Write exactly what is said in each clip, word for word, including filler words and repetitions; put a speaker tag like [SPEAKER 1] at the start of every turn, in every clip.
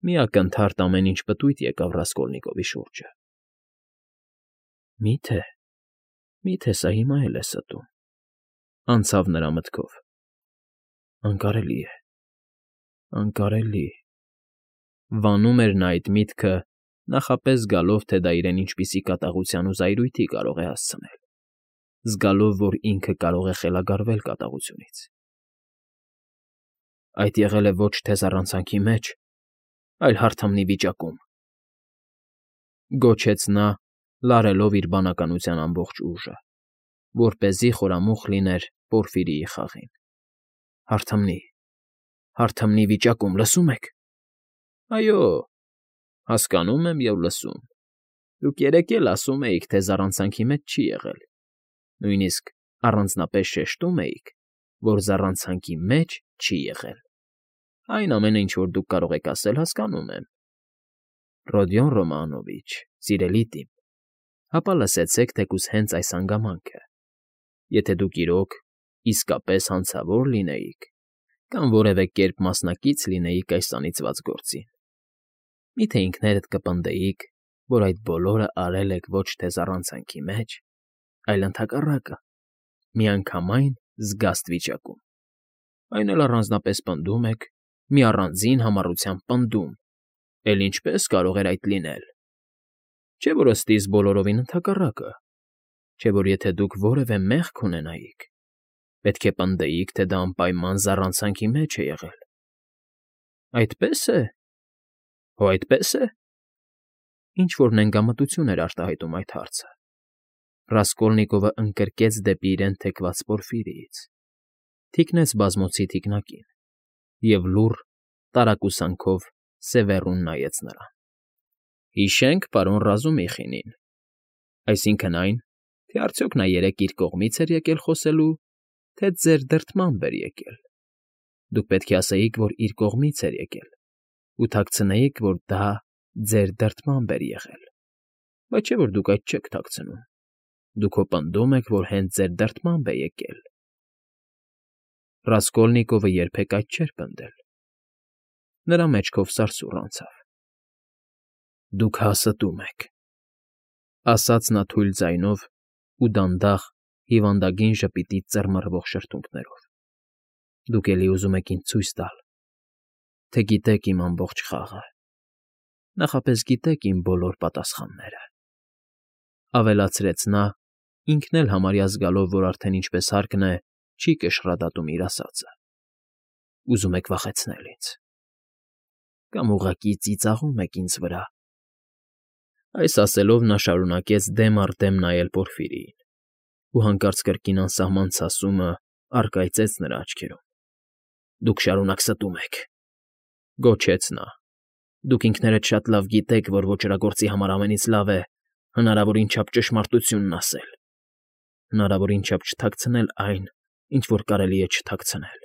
[SPEAKER 1] Մի ակնթարթ ամեն ինչ պտույտ եկավ Ռասկոլնիկովի շուրջը։ «Մի՞թե, մի՞թե սա հիմա էլ է ստում,֊ անցավ նրա մտքով։֊ Անկարելի է, անկարելի…» Վանում էր նա այդ միտքը, նախապես զգալով, թե դա իրեն ինչպիսի կատաղության ու զայրույթի կարող է հասցնել, զգալով, որ ինքը կարող է խելագարվել կատաղությունից։ «Այդ եղել է ոչ թե զառանցանքի մեջ, այլ հարթամնի վիճակում,֊ գոչեց նա, լարելով իր բանականության ամբողջ ուժը, որպեսզի խորամուխ լիներ Պորֆիրիի խաղին։֊ Հարթմնի, հարթմնի վիճակում, լսում եք… Այո, հասկանում եմ և լսում… Դուք երեկ էլ ասում էիք, թե զառանցանքի մեջ չի եղել, նույնիսկ առանձնապես շեշտում էիք, որ զառանցանքի մեջ չի եղել… Այն ամենը, ինչ որ դուք կարող եք ասել, հասկանում եմ… Ռոդիոն Ռոմանովիչ, սիրելի Տիմ, հապա լսեցեք թեկուզ հենց այս հանգամանքը. եթե դուք իրոք, իսկապես հանցավոր լինեիք կամ որևէ կերպ մասնակից լինեիք այս անիծյալ գործին, մի՞թե ինքներդ կպնդեիք, որ այդ բոլորը արել եք ոչ թե զառանցանքի մեջ, այլ ընդհակառակը, միանգամայն զգաստ վիճակում, այն էլ առանձնապես պնդում եք, մի առանձին համառությամբ պնդում, էլ ինչպե՞ս կարող էր այդ լինել… Չէ՞ որ ըստ իս բոլորովին ընդհակառակը, չէ՞ որ եթե դուք որևէ մեղք ունենայիք, պետք է պնդեիք, թե դա անպայման զառանցանքի մեջ է եղել… Այդպե՞ս է… Հո այդպե՞ս է… Ինչ֊որ նենգամտություն էր արտահայտում այդ հարցը… Ռասկոլնիկովը ընկրկեց դեպի իրեն թեքված Պորֆիրիից, թիկնեց բազմոցի թիկնակին և լուռ, տարակուսանքով սևեռուն նայեց նրան։ ֊ Հիշենք պարոն Ռազումիխինին, այսինքն այն, թե արդյոք նա երեկ իր կողմից էր եկել խոսելու, թե ձեր դրդմամբ էր եկել… Դուք պետք է ասեիք, որ իր կողմից էր եկել ու թաքցնեիք, որ դա ձեր դրդմամբ էր եղել, բայց չէ որ դուք այդ չեք թաքցնում, դուք հո պնդում եք, որ հենց ձեր դրդմամբ է եկել… Ռասկոլնիկովը երբեք այդ չէր պնդել… Նրա մեջքով սարսուռ անցավ։ ֊ Դուք հա ստում եք,֊ ասաց նա թույլ ձայնով ու դանդաղ, հիվանդագին ժպիտից ծռմռվող շրթունքներով։֊ Դուք էլի ուզում եք ինձ ցույց տալ, թե գիտեք իմ ամբողջ խաղը, նախապես գիտեք իմ բոլոր պատասխանները…֊ ավելացրեց նա, ինքն էլ համարյա զգալով, որ արդեն ինչպես հարկն է, չի կշռադատում իր ասածը։ Ուզում եք վախեցնել ինձ… Կամ ուղղակի ծիծաղում եք ինձ վրա… Այս ասելով նա շարունակեց դեմ առ դեմ նայել Պորֆիրիին, ու հանկարծ կրկին անսահման ցասումը առկայծեց նրա աչքերում։ ֊ Դուք շարունակ ստում եք,֊ գոչեց նա։֊ Դուք ինքներդ շատ լավ գիտեք, որ ոճրագործի համար ամենից լավ է հնարավորին չափ ճշմարտությունն ասել, հնարավորին չափ չթաքցնել այն, ինչ որ կարելի է չթաքցնել…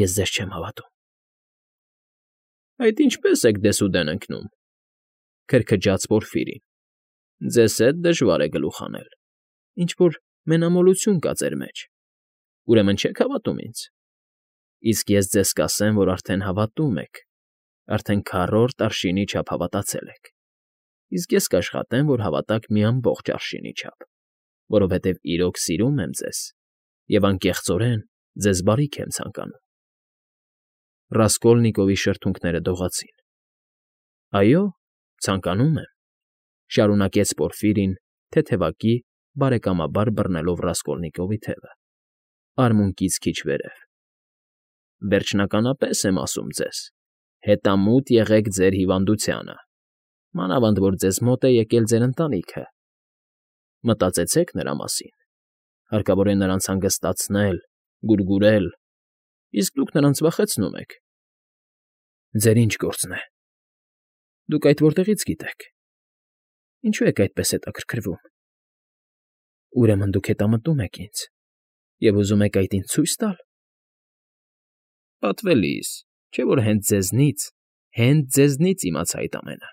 [SPEAKER 1] Ես ձեզ չեմ հավատում… ֊ Այդ ինչպե՞ս եք դեսուդեն ընկնում,֊ քրքջաց Պորֆիրին։֊ Ձեզ հետ դժվար է գլուխ հանել, ինչ֊որ մենամոլություն կա ձեր մեջ… Ուրեմն չեք հավատում ինձ… Իսկ ես ձեզ կասեմ, որ արդեն հավատում եք, արդեն քառորդ արշինի չափ հավատացել եք, իսկ ես կաշխատեմ, որ հավատաք մի ամբողջ արշինի չափ, որովհետև իրոք սիրում եմ ձեզ և անկեղծորեն ձեզ բարիք եմ ցանկանում… Ռասկոլնիկովի շրթունքները դողացին։ ֊ Այո, ցանկանում եմ,֊ շարունակեց Պորֆիրին, թեթևակի, բարեկամաբար բռնելով Ռասկոլնիկովի թևը, արմունկից քիչ վերև։ ֊ Վերջնականապես եմ ասում ձեզ. հետամուտ եղեք ձեր հիվանդությանը, մանավանդ որ ձեզ մոտ է եկել ձեր ընտանիքը… Մտածեցեք նրա մասին, հարկավոր է նրանց հանգստացնել, գուրգուրել, իսկ դուք նրանց վախեցնում եք… Ձեր ի՞նչ գործն է… Դուք այդ որտեղի՞ց գիտեք… Ինչո՞ւ եք այդպես հետաքրքրվում… Ուրեմն դուք հետամտում եք ինձ և ուզում եք այդ ինձ ցույց տալ… Պատվելիս, չէ՞ որ հենց ձեզնից, հենց ձեզնից իմացա այդ ամենը…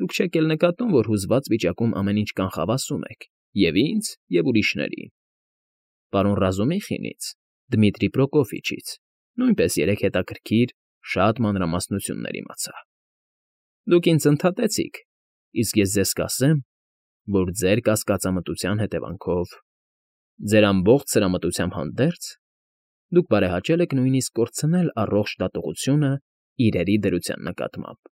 [SPEAKER 1] Դուք չեք էլ նկատում, որ հուզված վիճակում ամեն ինչ կանխավասում եք և՛ ինձ, և՛ ուրիշներին… Պարոն Ռազումիխինից, Դմիտրի Պրոկոֆիչից նույնպես երեք հետաքրքիր, շատ մանրամասնություններ իմացա։ Դուք ինձ ընդհատեցիք, իսկ ես ձեզ կասեմ, որ ձեր կասկածամտության հետևանքով, ձեր ամբողջ սրամտությամբ հանդերձ, դուք բարեհաճել եք նույնիսկ կորցնել առողջ դատողությունը իրերի դրության նկատմամբ։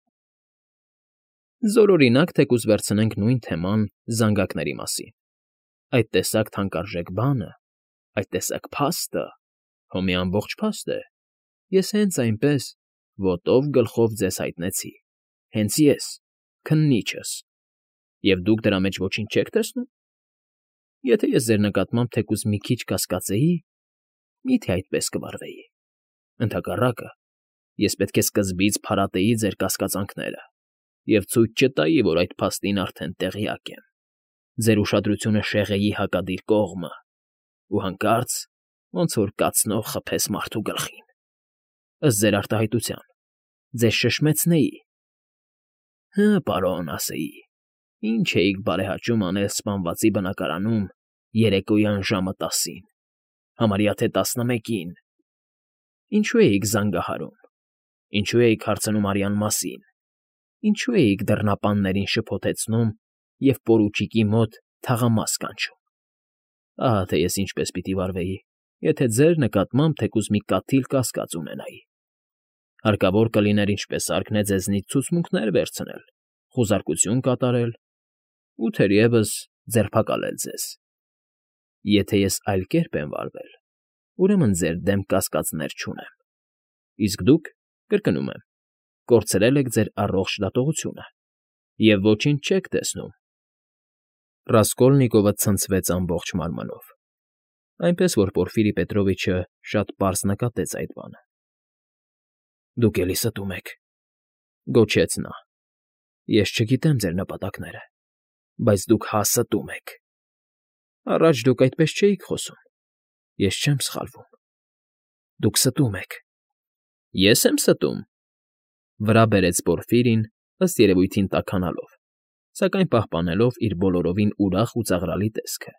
[SPEAKER 1] Զորօրինակ, թեկուզ վերցնենք նույն թեման զանգակների մասին։ Այդ տեսակ թանկարժեք բանը, այդ տեսակ փաստը, հո մի ամբողջ փաստ է, ես հենց այնպես, ոտով գլխով ձեզ հայտնեցի, հենց ես, քննիչս, և դուք դրա մեջ ոչինչ չեք տեսնում։ Եթե ես ձեր նկատմամբ թեկուզ մի քիչ կասկածեի, մի՞թե այդպես կվարվեի։ Ընդհակառակը, ես պետք է սկզբից փարատեի ձեր կասկածանքները և ցույց չտայի, որ այդ փաստին արդեն տեղյակ եմ, ձեր ուշադրությունը շեղեի հակադիր կողմը ու հանկարծ, ոնց որ կացնող խփես մարդու գլխին, ըստ ձեր արտահայտության, ձեզ շշմեցնեի։ Հը, պարոն, ասեի, ինչ էիք բարեհաճում անել սպանվածի բնակարանում երեկոյան ժամը տասին, համարյա թե տասնմեկին, ինչու էիք զանգահարում, ինչու էիք հարցնում արյան մասին, ինչու էիք դռնապաններին շփոթեցնում և պորուչիկի մոտ թաղամաս կանչում։ Ահա թե ես ինչպես պիտի վարվեի, եթե ձեր նկատմամբ թեկուզ մի կաթիլ կասկած ունենայի։ Հարկավոր կլիներ ինչպես սարքն է ձեզնից ցուցմունքներ վերցնել, խուզարկություն կատարել ու թերևս ձերբակալել ձեզ։ Եթե ես այլ կերպ եմ վարվել, ուրեմն ձեր դեմ կասկածներ չունեմ, իսկ դուք, կրկնում եմ, կորցրել եք ձեր առողջ դատողությունը և ոչինչ չեք տեսնում։ Ռասկոլնիկովը ցնցվեց ամբողջ մարմնով, այնպես որ Պորֆիրի Պետրովիչը շատ պարզ նկատեց այդ բանը։ Դուք էլի ստում եք,֊ գոչեց նա։ Ես չգիտեմ ձեր նպատակները, բայց դուք հա ստում եք։ Առաջ դուք այդպես չէիք խոսում, ես չեմ սխալվում։ Դուք ստում եք։ Ե՞ս եմ ստում,֊ վրա բերեց Պորֆիրին, ըստ երևույթին տաքանալով, սակայն պահպանելով իր բոլորովին ուրախ ու ծաղրալի տեսքը,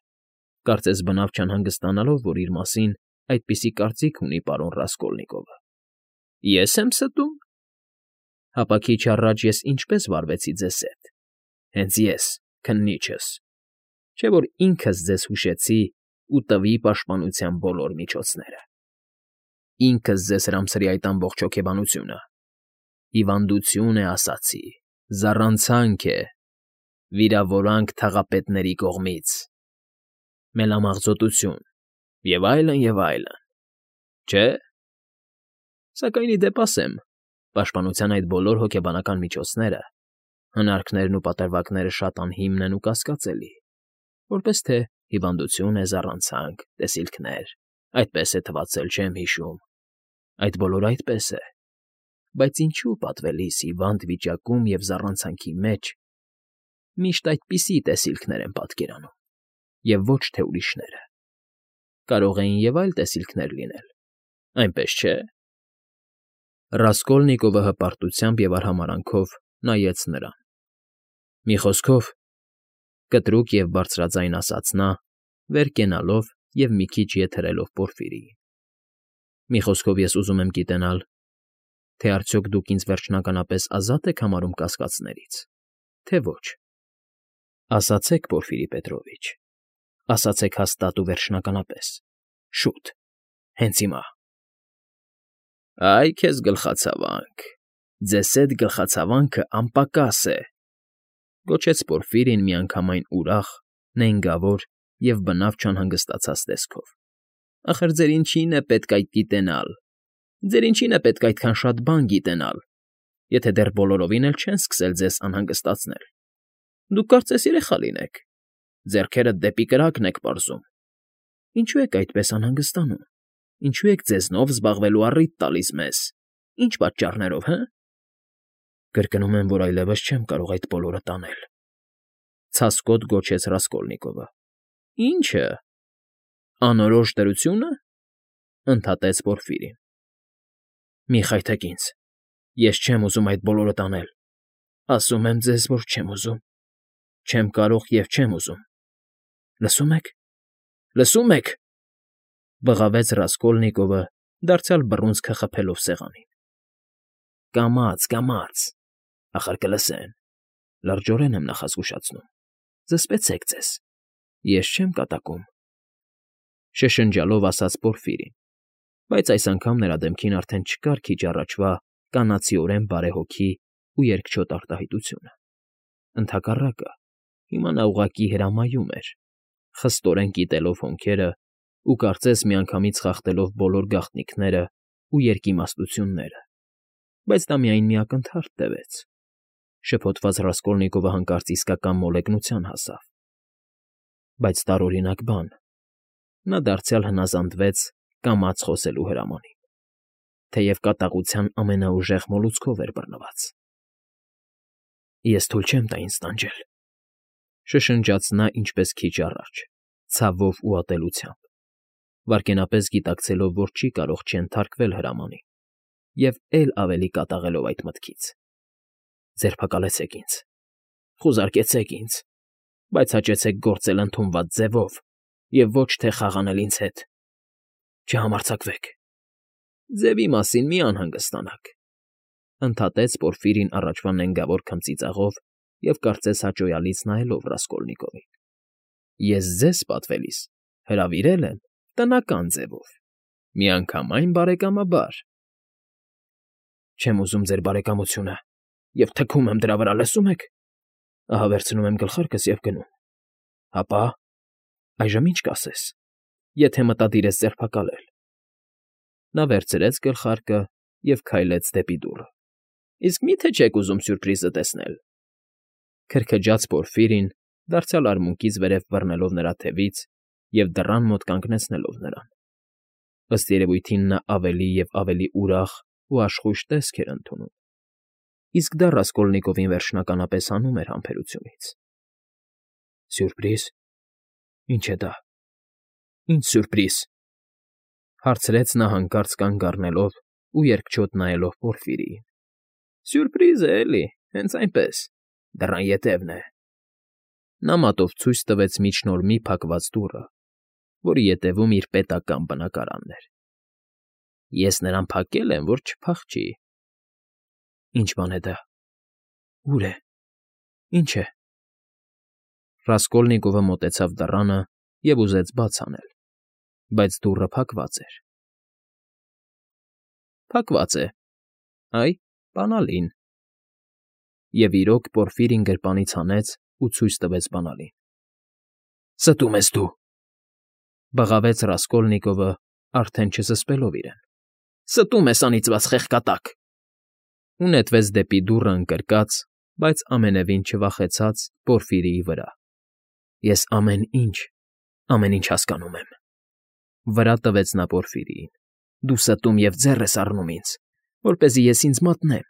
[SPEAKER 1] կարծես բնավ չանհանգստանալով, որ իր մասին այդպիսի կարծիք ունի պարոն Ռասկոլնիկովը։ Ե՞ս եմ ստում։ Հապա քիչ առաջ ես ինչպես վարվեցի ձեզ հետ, հենց ես, քննիչս, չէ՞ որ ինքս ձեզ հուշեցի ու տվի պաշտպանության բոլոր միջոցները։ Ինքս ձեզ հրամսրի այդ ամբողջ հոգեբանությունը։ Հիվանդություն է, ասացի, զառանցանք է, վիրավորանք թաղապետների կողմից, մելամաղձոտություն և այլն, և այլն, չէ՞։ Սակայն ի դեպ ասեմ, պաշտպանության այդ բոլոր հոգեբանական միջոցները, հնարքներն ու պատրվակները շատ անհիմն են ու կասկածելի, որպես թե հիվանդություն է, զառանցանք, տեսիլքներ, այդպես է թվացել, չեմ հիշում, այդ բոլորը այդպես է, բայց ինչու պատվելիս հիվանդ վիճակում և զառանցանքի մեջ միշտ այդպիսի տեսիլքներ են պատկերանում, և ոչ թե ուրիշները։ Կարող էին և այլ տեսիլքներ լինել, այնպես չէ՞։ Ռասկոլնիկովը հպարտությամբ և արհամարհանքով նայեց նրան։ Մի խոսքով, կտրուկ և բարձրաձայն ասաց նա, վեր կենալով և մի քիչ ետ հրելով Պորֆիրիին։ Մի խոսքով ես ուզում եմ գիտենալ, թե արդյոք դուք ինձ վերջնականապես ազատ եք համարում կասկածներից, թե ոչ։ Ասացեք, Պորֆիրի Պետրովիչ, ասացեք հաստատ ու վերջնականապես, շուտ, հենց հիմա։ Այ քեզ գլխացավանք, ձեզ էդ գլխացավանքը անպակաս է,֊ գոչեց Պորֆիրին միանգամայն ուրախ, նենգավոր և բնավ չանհանգստացած տեսքով։ Ախր ձեր ինչի՞ն է պետք այդ գիտենալ, ձեր ինչի՞ն է պետք այդքան շատ բան գիտենալ, եթե դեռ բոլորովին էլ չեն սկսել ձեզ անհանգստացնել։ Դուք կարծես երեխա լինեք, ձեռքերդ դեպի կրակն եք պարզում։ Ինչու եք այդպես անհանգստանում, ինչու եք ձեզնով զբաղվելու առիթ տալիս մեզ, ինչ պատճառներով, հը։ Կրկնում եմ, որ այլևս չեմ կարող այդ բոլորը տանել,֊ ցասկոտ գոչեց Ռասկոլնիկովը։ Ի՞նչը։ Անորոշ դրությո՞ւնը,֊ ընդհատեց Պորֆիրին։ Մի խայթեք ինձ, ես չեմ ուզում այդ բոլորը տանել, ասում եմ ձեզ, որ չեմ ուզում, չեմ կարող և չեմ ուզում։ Լսո՞ւմ եք, լսո՞ւմ եք,֊ բղավեց Ռասկոլնիկովը, դարձյալ բռունցքը խփելով սեղանին։ Կամաց, կամաց, ախր կլսեն, լրջորեն եմ նախազգուշացնում, զսպեցեք ձեզ, ես չեմ կատակում,֊ շշնջալով ասաց Պորֆիրին, բայց այս անգամ նրա դեմքին արդեն չկար քիչ առաջվա կանացիորեն բարեհոգի ու երկչոտ արտահայտությունը. ընդհակառակը, հիմա նա ուղղակի հրամայում էր, խստորեն կիտելով հոնքերը ու կարծես միանգամից խախտելով բոլոր գաղտնիքները ու երկիմաստությունները, բայց դա միայն մի ակնթարթ տևեց. շփոթված Ռասկոլնիկովը հանկարծ իսկական մոլեգնության հասավ, բայց տարօրինակ բան, նա դարձյալ հնազանդվեց կամաց խոսելու հրամանին, թեև կատաղության ամենաուժեղ մոլուցքով էր բռնված։ «Ես թույլ չեմ տա ինձ տանջել,֊ շշնջաց նա ինչպես քիչ առաջ, ցավով ու ատելությամբ, վայրկենապես գիտակցելով, որ չի կարող չենթարկվել հրամանին և էլ ավելի կատաղելով այդ մտքից։ «Ձերբակալեցեք ինձ, խուզարկեցեք ինձ, բայց հաճեցեք գործել ընդունված ձևով և ոչ թե խաղանել ինձ հետ։ Չհամարձակվեք, ձևի մասին մի անհանգստանաք,֊ ընդհատեց Պորֆիրին առաջվա նենգավոր քմծիծաղով և կարծես հաճոյալից նայելով Ռասկոլնիկովին։֊ Ես ձեզ պատվելիս հրավիրել եմ տնական ձևով, միանգամայն բարեկամաբար։ Չեմ ուզում ձեր բարեկամությունը և թքում եմ դրա վրա, լսում եք, ահա վերցնում եմ գլխարկս և գնում։ Հապա, այժմ ի՞նչ կասես, եթե մտադիր ես ձերբակալել…֊ Նա վերցրեց գլխարկը և քայլեց դեպի դուռը։ Իսկ մի՞թե չեք ուզում սյուրպրիզը տեսնել,֊ քրքջաց Պորֆիրին, դարձյալ արմունկից վերև բռնելով նրա թևից և դռան մոտ կանգնեցնելով նրան։ Ըստ երևույթին նա ավելի և ավելի ուրախ ու աշխույժ տեսք էր ընդունում, իսկ դա Ռասկոլնիկովին վերջնականապես հանում էր համբերությունից։ «Սյուրպրի՞զ… Ի՞նչ է դա, ի՞նչ սյուրպրիզ,֊ հարցրեց նա հանկարծ կանգ առնելով ու երկչոտ նայելով Պորֆիրիին։ «Սյուրպրիզ է, էլի, հենց այնպես, դռան ետևն է…» Նա մատով ցույց տվեց միջնորմի փակված դուռը, որի ետևում իր պետական բնակարանն էր։ «Ես նրան փակել եմ, որ չփախչի…»։ «Ի՞նչ բան է դա, ուր է, ի՞նչ է…» Ռասկոլնիկովը մոտեցավ դռանը և ուզեց բաց անել, բայց դուռը փակված էր։ «Փակված է, այ, բանալին…»։ Եվ իրոք Պորֆիրին գրպանից հանեց ու ցույց տվեց բանալին։ «Ստում ես դու,֊ բղավեց Ռասկոլնիկովը, արդեն չզսպելով իրեն,֊ ստում ես, անիծված խեղկատակ…» ու նետվեց դեպի դուռը ընկրկած, բայց ամենևին չվախեցած Պորֆիրիի վրա։ «Ես ամեն ինչ, ամեն ինչ հասկանում եմ,֊ վրա տվեց նա Պորֆիրիին։֊ Դու ստում և ձեռ ես առնում ինձ, որպեսզի ես ինձ մատնեմ։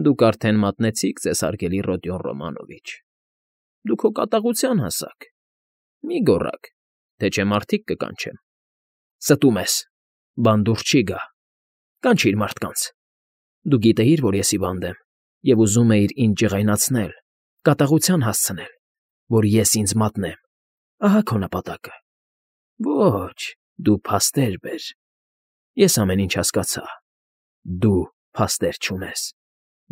[SPEAKER 1] Դուք արդեն մատնեցիք, ձեզ հարգելի Ռոդիոն Ռոմանովիչ, դուք հո կատաղության հասակ, մի գոռաք, թե չէ մարդիկ կկանչեմ։ Ստում ես, բան դուր չի գա, կանչիր մարդկանց։ Դու գիտեիր, որ ես հիվանդ եմ և ուզում էիր ինձ ջղայնացնել, կատաղության հասցնել, որ ես ինձ մատնեմ, ահա քո նպատակը։ Ոչ, դու փաստեր բեր… Ես ամեն ինչ հասկացա… Դու փաստեր չունես,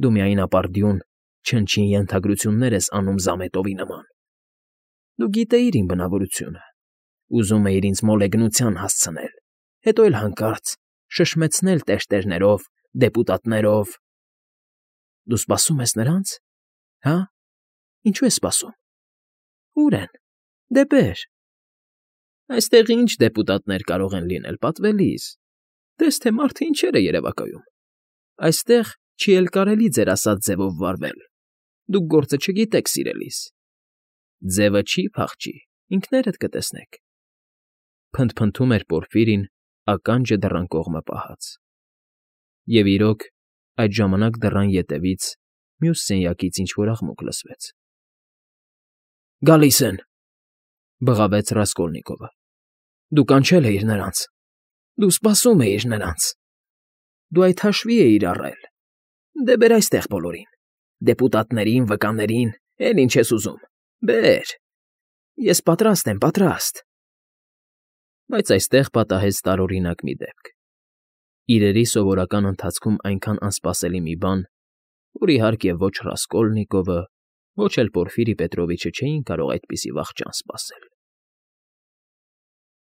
[SPEAKER 1] դու միայն ապարդյուն, չնչին ենթագրություններ ես անում Զամետովի նման։ Դու գիտեիր իմ բնավորությունը, ուզում էիր ինձ մոլեգնության հասցնել, հետո էլ հանկարծ շշմեցնել տերտերներով, դեպուտատներով… Դու սպասում ես նրանց, հա՞, ինչու ես սպասում… Ո՞ւր են… Դե բեր… Այստեղ ի՞նչ դեպուտատներ կարող են լինել, պատվելիս… Տես թե մարդը ինչեր է երևակայում… Այստեղ չի էլ կարելի ձեր ասած ձևով վարվել… Դուք գործը չգիտեք, սիրելիս… Ձևը չի փախչի, ինքներդ կտեսնեք…֊ փնթփնթում էր Պորֆիրին, ականջը դռան կողմը պահած։ Եվ իրոք, այդ ժամանակ դռան ետևից, մյուս սենյակից ինչ֊որ աղմուկ լսվեց։ «Գալիս են,֊ բղավեց Ռասկոլնիկովը։֊ Դու կանչել էիր նրանց… Դու սպասում էիր նրանց… Դու այդ հաշվի էիր առել… Դե բեր այստեղ բոլորին… Դեպուտատներին, վկաներին, էլ ինչ ես ուզում… Բեր… Ես պատրաստ եմ, պատրաստ…» Բայց այստեղ պատահեց տարօրինակ մի դեպք։ Իրերի սովորական ընթացքում այնքան անսպասելի մի բան, որ, իհարկե, ոչ Ռասկոլնիկովը, ոչ էլ Պորֆիրի Պետրովիչը չէին կարող այդպիսի վախճան սպասել։